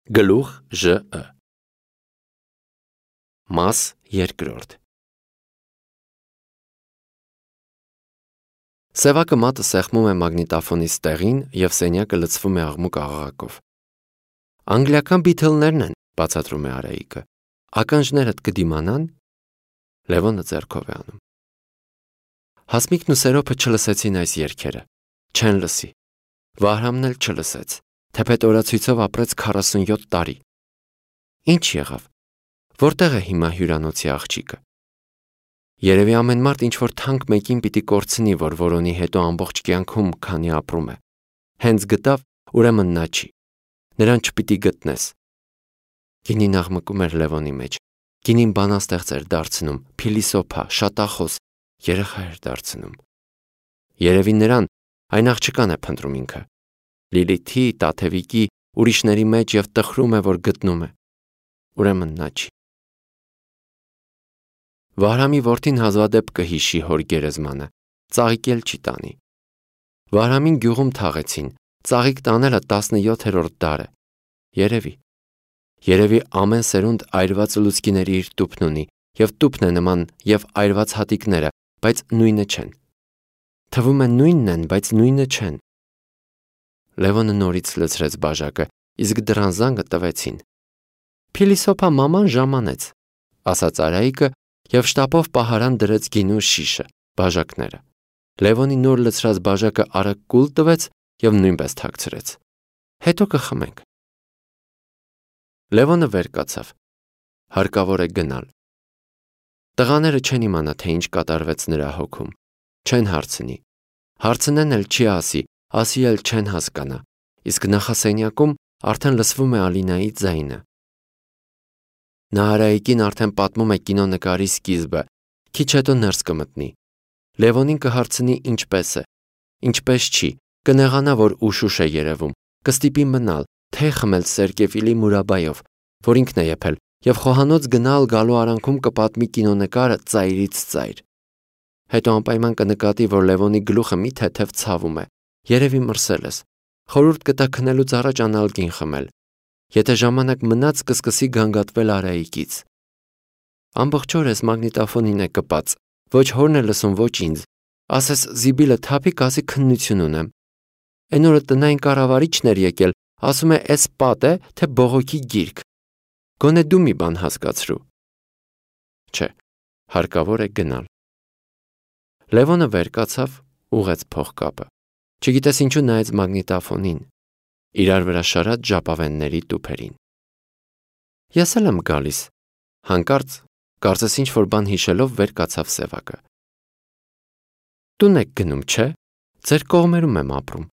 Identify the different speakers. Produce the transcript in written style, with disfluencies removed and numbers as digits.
Speaker 1: Գլուխ ԺԸ Մաս երկրորդ Սևակը մատը սեղմում է մագնիտոֆոնի ստեղին և սենյակը լցվում է աղմուկ աղաղակով։ Անգլիական Բիթլներն են, բացատրում է Արայիկը։ Ականջներդ կդիմանան։ Լևոնը ձեռքով է անում։ Հասմիկն ու Սերոփը չլսեցին այս երգերը, չեն լսի։ Վահրամն էլ չլսեց, թեպետ օրացույցով ապրեց 47 տարի։ Ինչ եղավ։ Որտեղ է հիմա հյուրանոցի աղջիկը։ Երևի ամեն մարդ ինչ-որ թանկ մեկին պիտի կորցնի, որ որոնի հետո ամբողջ կյանքում քանի ապրում է։ Հենց գտավ, ուրեմն նա չի։ Նրան չպիտի գտնես։ Գինին աղմկում էր Լևոնի մեջ։ Գինին բանաստեղծ էր դարձնում, փիլիսոփա, շատախոս, երեխա էր դարձնում։ Երևի նրան այն աղջկան է փնտրում ինքը։ Լիլիթի, Տաթևիկի, ուրիշների մեջ և տխրում է, որ գտնում է։ Ուրեմն նա չի։ Վահրամի որդին հազվադեպ կհիշի հոր գերեզմանը, ծաղիկ էլ չի տանի։ Վահրամին գյուղում թաղեցին, ծաղիկ տանելը 17-րդ դար է։ Երևի ամեն սերունդ այրված լուցկիների իր տուփն ունի, և տուփն է նման և այրված հատիկները, բայց նույնը չեն։ Թվում է նույնն են, բայց նույնը չեն։ Լևոնը նորից լցրեց բաժակը, իսկ դռան զանգը տվեցին։ Փիլիսոփա մաման ժամանեց, ասաց Արայիկը և շտապով պահարան դրեց գինու շիշը, բաժակները։ Լևոնի նոր լցրած բաժակը արագ կուլ տվեց և նույնպես թաքցրեց։ Հետո կխմենք։ Լևոնը վեր կացավ։ Հարկավոր է գնալ։ Տղաները չեն իմանա, թե ինչ կատարվեց նրա հոգում։ Չեն հարցնի։ Հարցնեն էլ չի ասի էլ չեն հասկանա, իսկ նախասենյակում արդեն լսվում է Ալինայի ձայնը։ Նա Արայիկին արդեն պատմում է կինոնկարի սկիզբը, քիչ հետո ներս կմտնի։ Լևոնին կհարցնի ինչպես է, ինչպես չի, կնեղանա, որ ուշ է երևում, կստիպի մնալ, թե խմել Սերկևիլի մուրաբայով, որ ինքն է եփել, և խոհանոց գնալ գալու արանքում կպատմի կինոնկարը ծայրից ծայր։ Հետո անպայման կնկատի, որ Լևոնի գլուխը մի թեթև ցավում է, երևի մրսել ես, խորհուրդ կտա քնելուց առաջ անալգին խմել։ Եթե ժամանակ մնաց, կսկսի գանգատվել Արայիկից։ Ամբողջ օրը ես մագնիտոֆոնին է կպած, ոչ հորն է լսում, ոչ ինձ, ասես զիբիլը թափի, կասի քննություն ունեմ։ Էն օրը տնային կառավարիչն էր եկել, ասում է էս պատ է, թե բողոքի գիրք։ Գոնե դու մի բան հասկացրու։ Չէ, հարկավոր է գնալ։ Լևոնը վեր կացավ, ուղեց փողկապը։ Չգիտես ինչու նայեց մագնիտոֆոնին, իրար վրա շարած ժապավենների տուփերին։ Ես էլ եմ գալիս։ Հանկարծ, կարծես ինչ-որ բան հիշելով, վեր կացավ Սևակը։ Տուն եք գնում, չէ՞։ Ձեր կողմերում եմ ապրում։